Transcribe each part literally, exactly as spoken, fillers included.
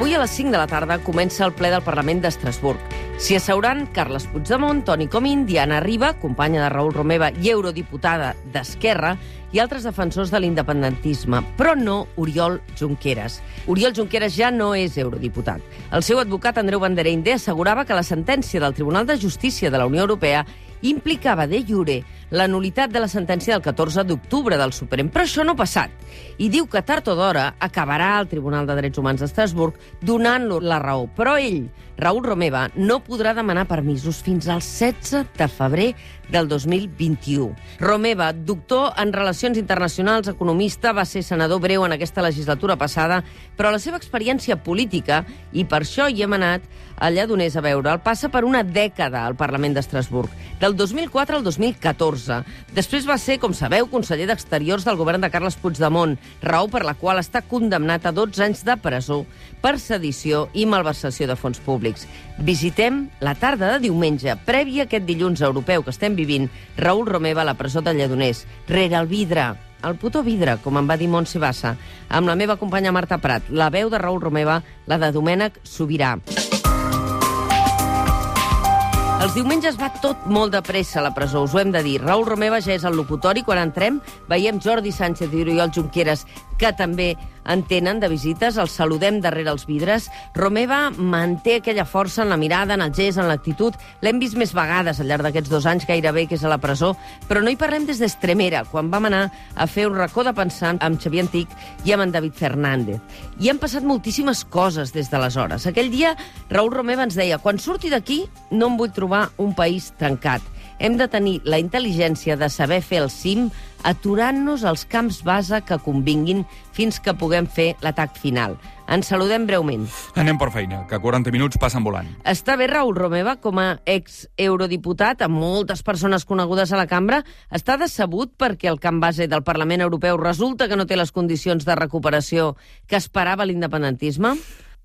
Avui a les cinc de la tarda comença el ple del Parlament d'Estrasburg. S'hi asseuran Carles Puigdemont, Toni Comín, Diana Riba, companya de Raül Romeva i eurodiputada d'Esquerra, i altres defensors de l'independentisme, però no Oriol Junqueras. Oriol Junqueras ja no és eurodiputat. El seu advocat, Andreu Bandereinde, assegurava que la sentència del Tribunal de Justícia de la Unió Europea implicava de jure la nul·litat de la sentència del catorze d'octubre del Suprem, però això no ha passat. I diu que tard o d'hora acabarà el Tribunal de Drets Humans d'Estrasburg donant-lo la raó. Però ell, Raül Romeva, no podrà demanar permisos fins al setze de febrer del dos mil vint-i-u. Romeva, doctor en Relacions Internacionals, economista, va ser senador breu en aquesta legislatura passada, però la seva experiència política, i per això hi hem anat a Lledoners a veure'l, passa per una dècada al Parlament d'Estrasburg, del dos mil quatre al dos mil catorze. Després va ser, com sabeu, conseller d'Exteriors del govern de Carles Puigdemont, raó per la qual està condemnat a dotze anys de presó per sedició i malversació de fons públics. Visitem la tarda de diumenge, prèvia a aquest dilluns europeu que estem vivint, Raül Romeva a la presó de Lledoners, rere el vidre, el puto vidre, com em va dir Montse Bassa, amb la meva companya Marta Prat, la veu de Raül Romeva, la de Domènec Sobirà. Els diumenges va tot molt de pressa a la presó, us ho hem de dir. Raül Romeva ja és al locutori. Quan entrem, veiem Jordi Sánchez i Oriol Junqueras, que també en tenen de visites. Els saludem darrere els vidres. Romeva manté aquella força en la mirada, en el gest, en l'actitud. L'hem vist més vegades al llarg d'aquests dos anys gairebé que és a la presó, però no hi parlem des d'Estremera, quan vam anar a fer un racó de pensar amb Xavier Antic i amb en David Fernández. I han passat moltíssimes coses des d'aleshores. Aquell dia, Raül Romeva ens deia: quan surti d'aquí, no em vull trobar un país trencat. Hem de tenir la intel·ligència de saber fer el cim aturant-nos als camps base que convinguin fins que puguem fer l'atac final. Ens saludem breument. Anem per feina, que quaranta minuts passen volant. Està bé Raül Romeva com a ex-eurodiputat, amb moltes persones conegudes a la cambra? Està decebut perquè el camp base del Parlament Europeu resulta que no té les condicions de recuperació que esperava l'independentisme?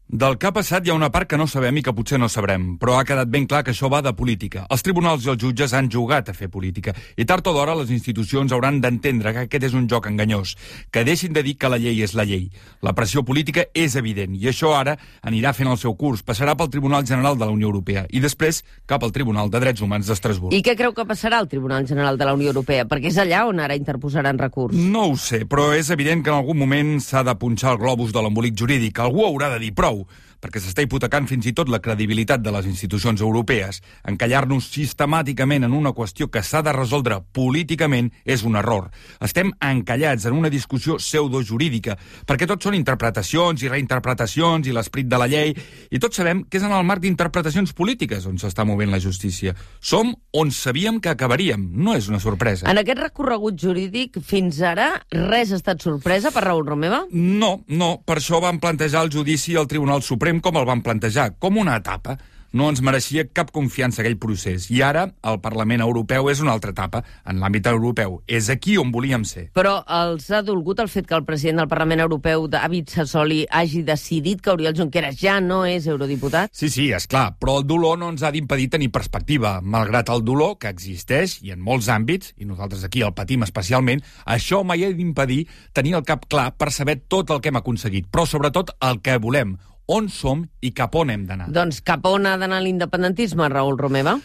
Del que ha passat hi ha una part que no sabem i que potser no sabrem, però ha quedat ben clar que això va de política. Els tribunals i els jutges han jugat a fer política, i tard o d'hora les institucions hauran d'entendre que aquest és un joc enganyós, que deixin de dir que la llei és la llei. La pressió política és evident, i això ara anirà fent el seu curs, passarà pel Tribunal General de la Unió Europea, i després cap al Tribunal de Drets Humans d'Estrasburg. I què creu que passarà al Tribunal General de la Unió Europea? Perquè és allà on ara interposaran recurs. No ho sé, però és evident que en algun moment s'ha de punxar el globus de l'embolic jurídic. Algú haurà de dir prou, perquè s'està hipotecant fins i tot la credibilitat de les institucions europees. Encallar-nos sistemàticament en una qüestió que s'ha de resoldre políticament és un error. Estem encallats en una discussió pseudojurídica, perquè tot són interpretacions i reinterpretacions i l'esperit de la llei, i tots sabem que és en el marc d'interpretacions polítiques on s'està movent la justícia. Som on sabíem que acabaríem, no és una sorpresa. En aquest recorregut jurídic, fins ara, res ha estat sorpresa per Raül Romeva? No, no, per això vam plantejar el judici al Tribunal Suprem com el van plantejar, com una etapa. No ens mereixia cap confiança aquell procés. I ara el Parlament Europeu és una altra etapa, en l'àmbit europeu. És aquí on volíem ser. Però els ha dolgut el fet que el president del Parlament Europeu, David Sassoli, hagi decidit que Oriol Junqueras ja no és eurodiputat? Sí, sí, és clar, però el dolor no ens ha d'impedir tenir perspectiva. Malgrat el dolor, que existeix, i en molts àmbits, i nosaltres aquí el patim especialment, això mai ha d'impedir tenir el cap clar per saber tot el que hem aconseguit, però sobretot el que volem, on som i cap on hem d'anar. Doncs cap on ha d'anar l'independentisme, Raül Romeva?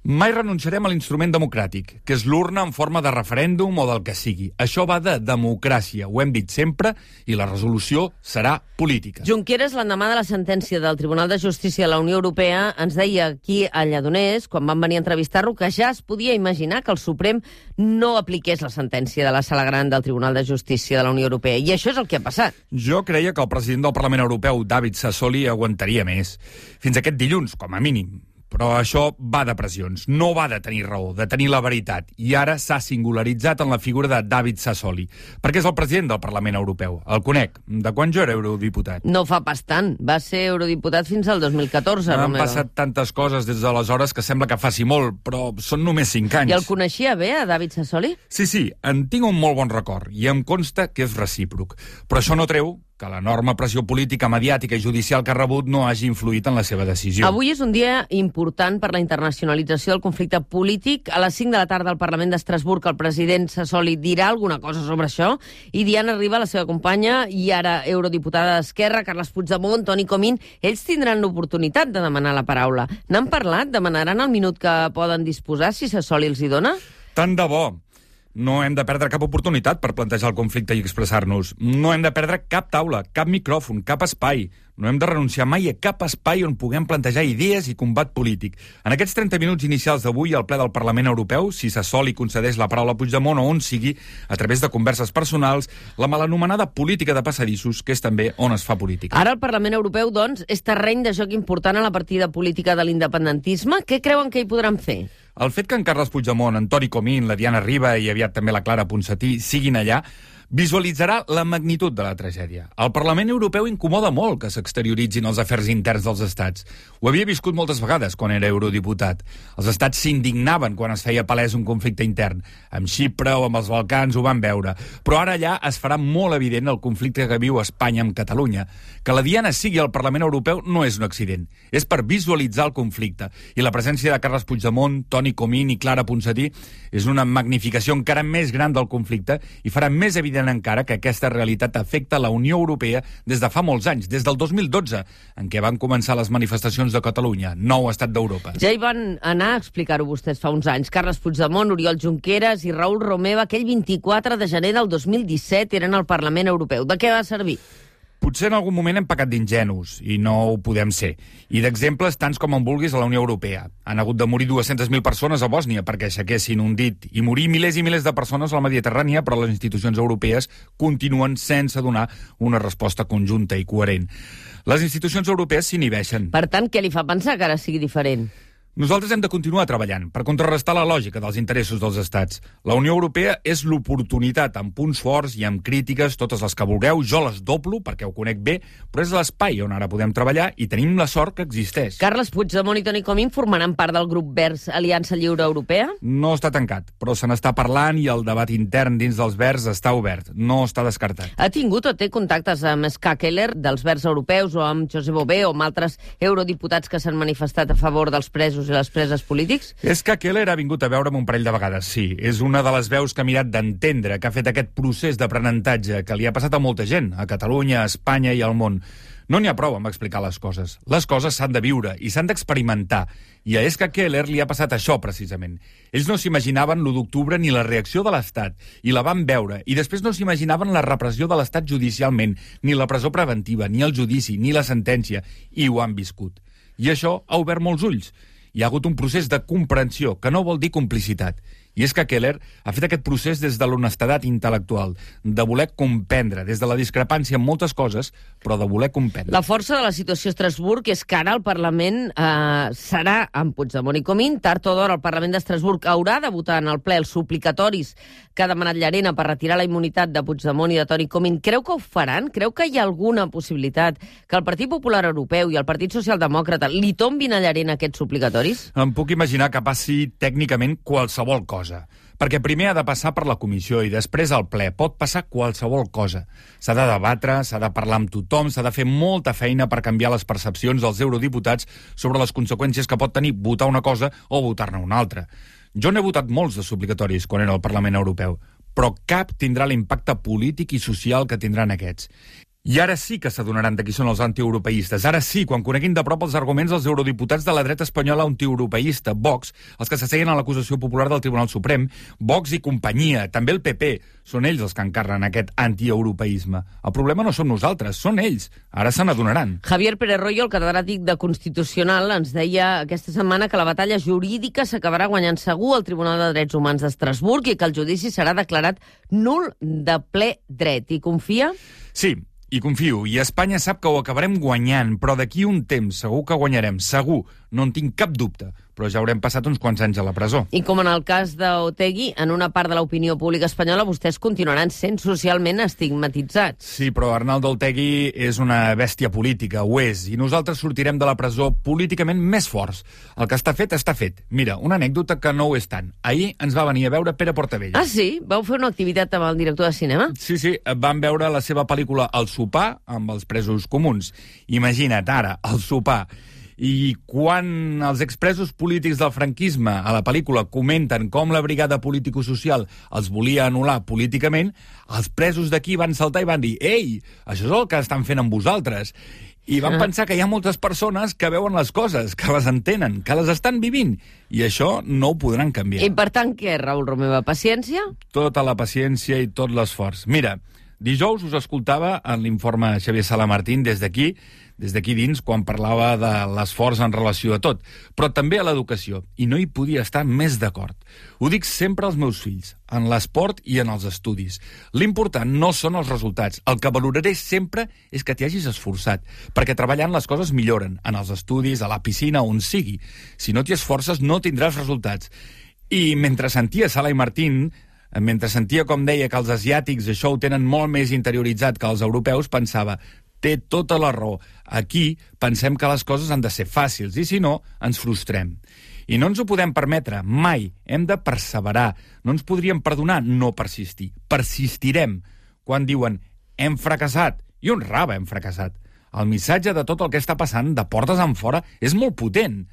Mai renunciarem a l'instrument democràtic, que és l'urna en forma de referèndum o del que sigui. Això va de democràcia, ho hem dit sempre, i la resolució serà política. Junqueras, l'endemà de la sentència del Tribunal de Justícia de la Unió Europea, ens deia aquí a Lledoners, quan vam venir a entrevistar-lo, que ja es podia imaginar que el Suprem no apliqués la sentència de la Sala Gran del Tribunal de Justícia de la Unió Europea. I això és el que ha passat. Jo creia que el president del Parlament Europeu, David Sassoli, aguantaria més. Fins aquest dilluns, com a mínim. Però això va de pressions, no va de tenir raó, de tenir la veritat. I ara s'ha singularitzat en la figura de David Sassoli, perquè és el president del Parlament Europeu. El conec, de quan jo era eurodiputat. No fa pas tant, va ser eurodiputat fins al dos mil catorze, Han Romeva. passat tantes coses des d'aleshores que sembla que faci molt, però són només cinc anys. I el coneixia bé, a David Sassoli? Sí, sí, en tinc un molt bon record, i em consta que és recíproc. Però això no treu que l'enorme pressió política, mediàtica i judicial que ha rebut no hagi influït en la seva decisió. Avui és un dia important per la internacionalització del conflicte polític. A les cinc de la tarda al Parlament d'Estrasburg el president Sassoli dirà alguna cosa sobre això i Diana Riba, la seva companya i ara eurodiputada d'Esquerra, Carles Puigdemont, Toni Comín, ells tindran l'oportunitat de demanar la paraula. N'han parlat? Demanaran el minut que poden disposar si Sassoli els hi dona? Tant de bo. No hem de perdre cap oportunitat per plantejar el conflicte i expressar-nos. No hem de perdre cap taula, cap micròfon, cap espai. No hem de renunciar mai a cap espai on puguem plantejar idees i combat polític. En aquests trenta minuts inicials d'avui al ple del Parlament Europeu, si Sassoli concedeix la paraula a Puigdemont o on sigui, a través de converses personals, la malanomenada política de passadissos, que és també on es fa política. Ara el Parlament Europeu, doncs, és terreny de joc important a la partida política de l'independentisme. Què creuen que hi podran fer? El fet que en Carles Puigdemont, en Toni Comín, la Diana Riba i aviat també la Clara Ponsatí siguin allà, visualitzarà la magnitud de la tragèdia. El Parlament Europeu incomoda molt que s'exterioritzin els afers interns dels estats. Ho havia viscut moltes vegades quan era eurodiputat. Els estats s'indignaven quan es feia palès un conflicte intern. Amb Xipre o amb els Balcans ho van veure. Però ara allà es farà molt evident el conflicte que viu Espanya amb Catalunya. Que la Diana sigui al Parlament Europeu no és un accident. És per visualitzar el conflicte. I la presència de Carles Puigdemont, Toni Comín i Clara Ponsatí és una magnificació encara més gran del conflicte i farà més evident encara que aquesta realitat afecta la Unió Europea des de fa molts anys, des del dos mil dotze, en què van començar les manifestacions de Catalunya, nou estat d'Europa. Ja hi van anar a explicar-ho vostès fa uns anys. Carles Puigdemont, Oriol Junqueras i Raül Romeva, aquell vint-i-quatre de gener del dos mil disset, eren al Parlament Europeu. De què va servir? Potser en algun moment hem pecat d'ingenus, i no ho podem ser. I d'exemples tants com en vulguis a la Unió Europea. Han hagut de morir dues-centes mil persones a Bòsnia perquè aixequessin un dit, i morir milers i milers de persones a la Mediterrània, però les institucions europees continuen sense donar una resposta conjunta i coherent. Les institucions europees s'inhibeixen. Per tant, què li fa pensar que ara sigui diferent? Nosaltres hem de continuar treballant per contrarrestar la lògica dels interessos dels estats. La Unió Europea és l'oportunitat, amb punts forts i amb crítiques, totes les que vulgueu. Jo les doblo perquè ho conec bé, però és l'espai on ara podem treballar i tenim la sort que existeix. Carles Puigdemont i Toni Comín formaran part del grup Verds Aliança Lliure Europea? No està tancat, però se n'està parlant i el debat intern dins dels Verds està obert. No està descartat. Ha tingut o té contactes amb Ska Keller dels Verds Europeus o amb Josep Bové o amb altres eurodiputats que s'han manifestat a favor dels presos i les preses polítics? És que Keller ha vingut a veure'm un parell de vegades, sí. És una de les veus que ha mirat d'entendre, que ha fet aquest procés d'aprenentatge que li ha passat a molta gent, a Catalunya, a Espanya i al món. No n'hi ha prou amb explicar les coses. Les coses s'han de viure i s'han d'experimentar. I a Ska Keller li ha passat això, precisament. Ells no s'imaginaven l'u d'octubre ni la reacció de l'Estat, i la van veure, i després no s'imaginaven la repressió de l'Estat judicialment, ni la presó preventiva, ni el judici, ni la sentència, i ho han viscut. I això ha obert molts ulls. Hi ha hagut un procés de comprensió, que no vol dir complicitat. I és que Keller ha fet aquest procés des de l'honestedat intel·lectual, de voler comprendre, des de la discrepància en moltes coses, però de voler comprendre. La força de la situació a Estrasburg és que ara el Parlament eh, serà amb Puigdemont i Comín. Tard o d'hora el Parlament d'Estrasburg haurà de votar en el ple els suplicatoris que ha demanat Llarena per retirar la immunitat de Puigdemont i de Toni Comín. Creu que ho faran? Creu que hi ha alguna possibilitat que el Partit Popular Europeu i el Partit Socialdemòcrata li tombin a Llarena aquests suplicatoris? Em puc imaginar que passi tècnicament qualsevol cosa. Perquè primer ha de passar per la comissió i després al ple. Pot passar qualsevol cosa. S'ha de debatre, s'ha de parlar amb tothom, s'ha de fer molta feina per canviar les percepcions dels eurodiputats sobre les conseqüències que pot tenir votar una cosa o votar-ne una altra. Jo n'he votat molts de suplicatoris quan era al Parlament Europeu, però cap tindrà l'impacte polític i social que tindran aquests. I ara sí que s'adonaran de qui són els antieuropeistes. Ara sí, quan coneguin de prop els arguments dels eurodiputats de la dreta espanyola antieuropeista, Vox, els que s'asseien a l'acusació popular del Tribunal Suprem, Vox i companyia, també el P P, són ells els que encarnen aquest antieuropeisme. El problema no som nosaltres, són ells. Ara se n'adonaran. Javier Pérez Royo, el catedràtic de Constitucional, ens deia aquesta setmana que la batalla jurídica s'acabarà guanyant segur al Tribunal de Drets Humans d'Estrasburg i que el judici serà declarat nul de ple dret. I confia? Sí. I confio, i Espanya sap que ho acabarem guanyant, però d'aquí un temps segur que guanyarem, segur, no en tinc cap dubte. però ja haurem passat uns quants anys a la presó. I com en el cas d'Otegi, en una part de l'opinió pública espanyola vostès continuaran sent socialment estigmatitzats. Sí, però Arnaldo Otegi és una bèstia política, ho és, i nosaltres sortirem de la presó políticament més forts. El que està fet, està fet. Mira, una anècdota que no ho és tant. Ahir ens va venir a veure Pere Portavella. Ah, sí? Vau fer una activitat amb el director de cinema? Sí, sí, vam veure la seva pel·lícula El sopar amb els presos comuns. Imagina't ara, el sopar. I quan els expresos polítics del franquisme a la pel·lícula comenten com la brigada político-social els volia anul·lar políticament, els presos d'aquí van saltar i van dir «Ei, això és el que estan fent amb vosaltres». I van pensar que hi ha moltes persones que veuen les coses, que les entenen, que les estan vivint, i això no ho podran canviar. I per tant, què, Raül Romeva? Paciència? Tota la paciència i tot l'esforç. Mira, dijous us escoltava en l'informe Xavier Sala Martín des d'aquí, des d'aquí dins, quan parlava de l'esforç en relació a tot, però també a l'educació, i no hi podia estar més d'acord. Ho dic sempre als meus fills, en l'esport i en els estudis. L'important no són els resultats. El que valoraré sempre és que t'hi hagis esforçat, perquè treballant les coses milloren, en els estudis, a la piscina, on sigui. Si no t'hi esforces, no tindràs resultats. I mentre sentia Sala i Martín, mentre sentia com deia que els asiàtics això ho tenen molt més interioritzat que els europeus, pensava, té tota la raó. Aquí pensem que les coses han de ser fàcils i, si no, ens frustrem. I no ens ho podem permetre, mai. Hem de perseverar. No ens podríem perdonar no persistir. Persistirem. Quan diuen hem fracassat, i on raba hem fracassat. El missatge de tot el que està passant de portes enfora és molt potent.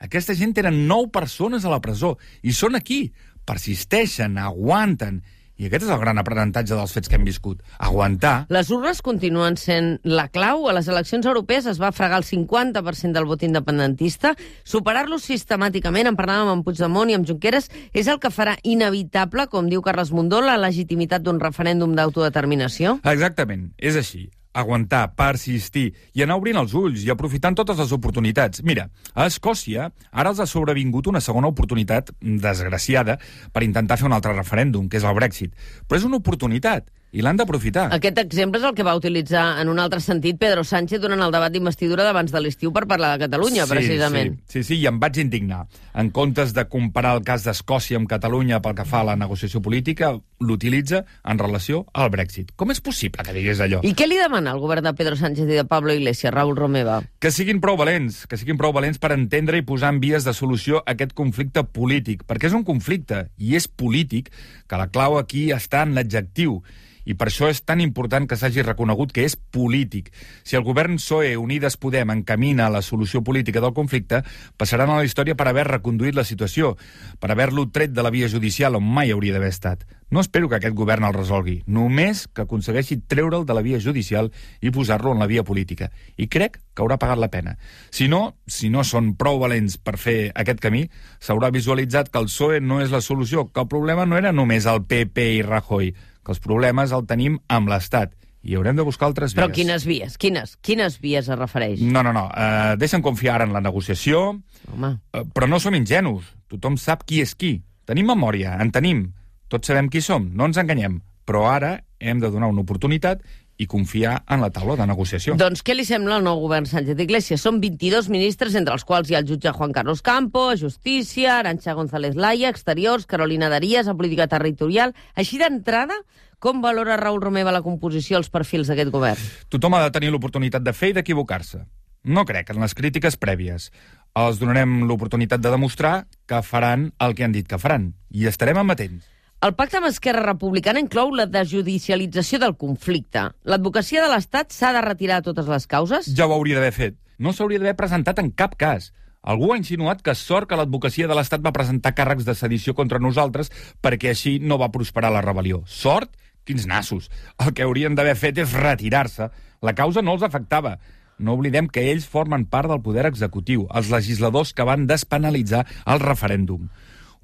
Aquesta gent tenen nou persones a la presó i són aquí. Persisteixen, aguanten. I aquest és el gran aprenentatge dels fets que hem viscut. Aguantar. Les urnes continuen sent la clau. A les eleccions europees es va fregar el cinquanta per cent del vot independentista. Superar-lo sistemàticament, en parlàvem amb Puigdemont i amb Junqueras, és el que farà inevitable, com diu Carles Mundó, la legitimitat d'un referèndum d'autodeterminació? Exactament, és així. Aguantar, persistir i anar obrint els ulls i aprofitant totes les oportunitats. Mira, a Escòcia ara els ha sobrevingut una segona oportunitat desgraciada per intentar fer un altre referèndum, que és el Brexit. Però és una oportunitat i l'han d'aprofitar. Aquest exemple és el que va utilitzar en un altre sentit Pedro Sánchez durant el debat d'investidura d'abans de l'estiu per parlar de Catalunya, sí, precisament. Sí, sí, sí, i em vaig indignar. En comptes de comparar el cas d'Escòcia amb Catalunya pel que fa a la negociació política, l'utilitza en relació al Brexit. Com és possible que digués allò? I què li demana al govern de Pedro Sánchez i de Pablo Iglesias, Raül Romeva? Que siguin prou valents, que siguin prou valents per entendre i posar en vies de solució aquest conflicte polític, perquè és un conflicte, i és polític, que la clau aquí està en l'adjectiu. I per això és tan important que s'hagi reconegut que és polític. Si el govern P S O E Unides Podem encamina a la solució política del conflicte, passaran a la història per haver reconduït la situació, per haver-lo tret de la via judicial on mai hauria d'haver estat. No espero que aquest govern el resolgui, només que aconsegueixi treure'l de la via judicial i posar-lo en la via política. I crec que haurà pagat la pena. Si no, si no són prou valents per fer aquest camí, s'haurà visualitzat que el P S O E no és la solució, que el problema no era només el P P i Rajoy, que els problemes el tenim amb l'Estat i haurem de buscar altres vies. Però quines vies? Quines? Quines vies es refereix? No, no, no. Uh, deixa'm confiar en la negociació, Home. Uh, però no som ingenus. Tothom sap qui és qui. Tenim memòria, en tenim. Tots sabem qui som, no ens enganyem. Però ara hem de donar una oportunitat i confiar en la taula de negociació. Doncs què li sembla al nou govern Sánchez Iglesias? Són vint-i-dos ministres, entre els quals hi ha el jutge Juan Carlos Campo, a Justícia, Arantxa González Laya, Exteriors, Carolina Darias, a Política Territorial. Així d'entrada, com valora Raül Romeva la composició, els perfils d'aquest govern? Tothom ha de tenir l'oportunitat de fer i d'equivocar-se. No crec en les crítiques prèvies. Els donarem l'oportunitat de demostrar que faran el que han dit que faran. I estarem amatents. El pacte amb Esquerra Republicana inclou la desjudicialització del conflicte. L'advocacia de l'Estat s'ha de retirar totes les causes? Ja ho hauria d'haver fet. No s'hauria d'haver presentat en cap cas. Algú ha insinuat que sort que l'advocacia de l'Estat va presentar càrrecs de sedició contra nosaltres perquè així no va prosperar la rebel·lió. Sort? Quins nassos. El que haurien d'haver fet és retirar-se. La causa no els afectava. No oblidem que ells formen part del poder executiu, els legisladors que van despenalitzar el referèndum.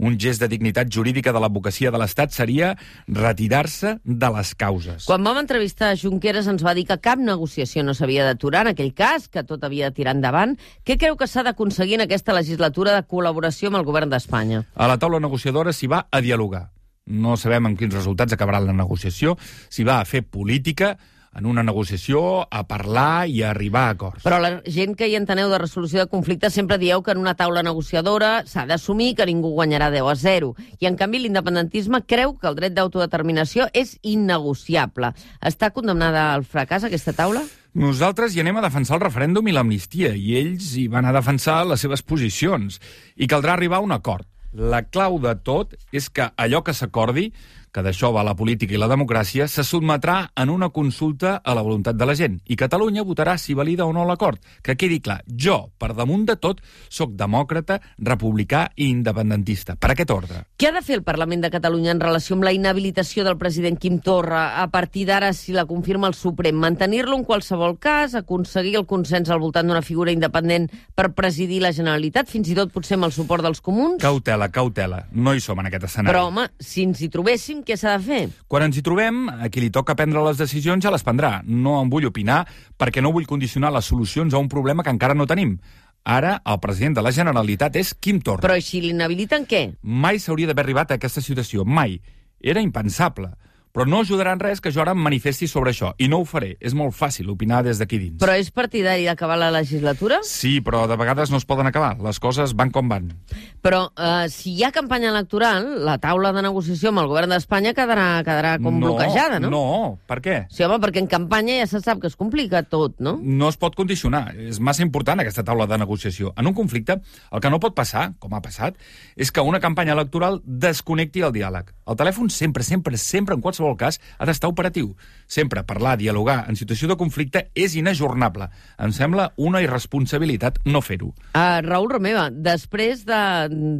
Un gest de dignitat jurídica de l'advocacia de l'Estat seria retirar-se de les causes. Quan vam entrevistar a Junqueras ens va dir que cap negociació no s'havia d'aturar en aquell cas, que tot havia de tirar endavant. Què creu que s'ha d'aconseguir en aquesta legislatura de col·laboració amb el govern d'Espanya? A la taula negociadora s'hi va a dialogar. No sabem amb quins resultats acabarà la negociació, s'hi va a fer política, en una negociació, a parlar i a arribar a acords. Però la gent que hi enteneu de resolució de conflictes sempre dieu que en una taula negociadora s'ha d'assumir que ningú guanyarà deu a zero. I, en canvi, l'independentisme creu que el dret d'autodeterminació és innegociable. Està condemnada al fracàs aquesta taula? Nosaltres hi anem a defensar el referèndum i l'amnistia, i ells hi van a defensar les seves posicions. I caldrà arribar a un acord. La clau de tot és que allò que s'acordi, que d'això va la política i la democràcia, se sotmetrà en una consulta a la voluntat de la gent. I Catalunya votarà si valida o no l'acord. Que quedi clar, jo, per damunt de tot, sóc demòcrata, republicà i independentista. Per aquest ordre. Què ha de fer el Parlament de Catalunya en relació amb la inhabilitació del president Quim Torra a partir d'ara, si la confirma el Suprem? Mantenir-lo en qualsevol cas, aconseguir el consens al voltant d'una figura independent per presidir la Generalitat, fins i tot potser amb el suport dels comuns? Cautela, cautela. No hi som en aquest escenari. Però, home, si ens hi trobéssim, què s'ha de fer? Quan ens hi trobem, a qui li toca prendre les decisions ja les prendrà. No en vull opinar perquè no vull condicionar les solucions a un problema que encara no tenim. Ara, el president de la Generalitat és Quim Torra. Però si l'inhabiliten, què? Mai s'hauria d'haver arribat a aquesta situació. Mai. Era impensable. Però no ajudarà en res que jo ara em manifesti sobre això. I no ho faré. És molt fàcil opinar des d'aquí dins. Però és partidari d'acabar la legislatura? Sí, però de vegades no es poden acabar. Les coses van com van. Però eh, si hi ha campanya electoral, la taula de negociació amb el govern d'Espanya quedarà, quedarà com no, bloquejada, no? No, per què? Sí, home, perquè en campanya ja se sap que es complica tot, no? No es pot condicionar. És massa important aquesta taula de negociació. En un conflicte, el que no pot passar, com ha passat, és que una campanya electoral desconnecti el diàleg. El telèfon sempre, sempre, sempre, en qualsevol cas, ha d'estar operatiu. Sempre parlar, dialogar en situació de conflicte és inajornable. Em sembla una irresponsabilitat no fer-ho. Uh, Raül Romeva, després de,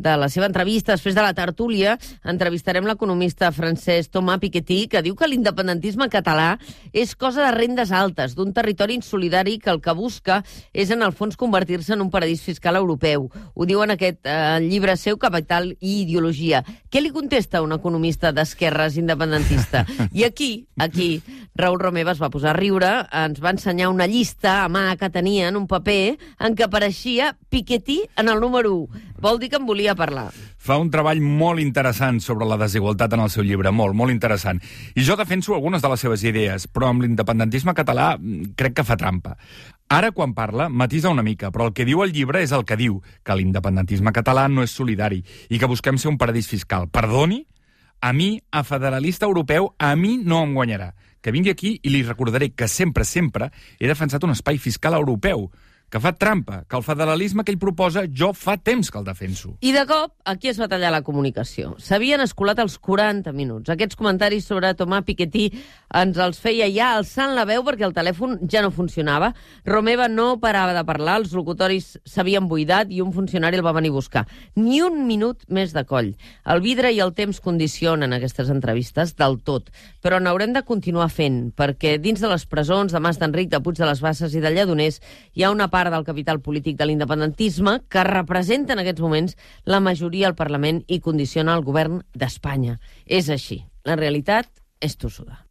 de la seva entrevista, després de la tertúlia, entrevistarem l'economista francès Thomas Piketty, que diu que l'independentisme català és cosa de rendes altes, d'un territori insolidari que el que busca és, en el fons, convertir-se en un paradís fiscal europeu. Ho diu en aquest uh, llibre seu, Capital i ideologia. Què li contesta un economista d'esquerres independentista? I aquí, aquí, Raül Romeva es va posar a riure, ens va ensenyar una llista a mà que tenia en un paper en què apareixia Piketty en el número u. Vol dir que en volia parlar. Fa un treball molt interessant sobre la desigualtat en el seu llibre, molt, molt interessant. I jo defenso algunes de les seves idees, però amb l'independentisme català crec que fa trampa. Ara, quan parla, matisa una mica, però el que diu el llibre és el que diu, que l'independentisme català no és solidari i que busquem ser un paradís fiscal. Perdoni? A mi, a federalista europeu, a mi no em guanyarà. Que vingui aquí i li recordaré que sempre, sempre he defensat un espai fiscal europeu, que fa trampa, que el federalisme que ell proposa jo fa temps que el defenso. I de cop, aquí es va tallar la comunicació. S'havien escolat els quaranta minuts. Aquests comentaris sobre Thomas Piketty ens els feia ja alçant la veu perquè el telèfon ja no funcionava. Romeva no parava de parlar, els locutoris s'havien buidat i un funcionari el va venir a buscar. Ni un minut més de coll. El vidre i el temps condicionen aquestes entrevistes del tot, però n'haurem de continuar fent, perquè dins de les presons de Mas d'Enric, de Puig de les Basses i de Lledoners hi ha una part del capital polític de l'independentisme que representa en aquests moments la majoria al Parlament i condiciona el govern d'Espanya. És així. La realitat és tossuda.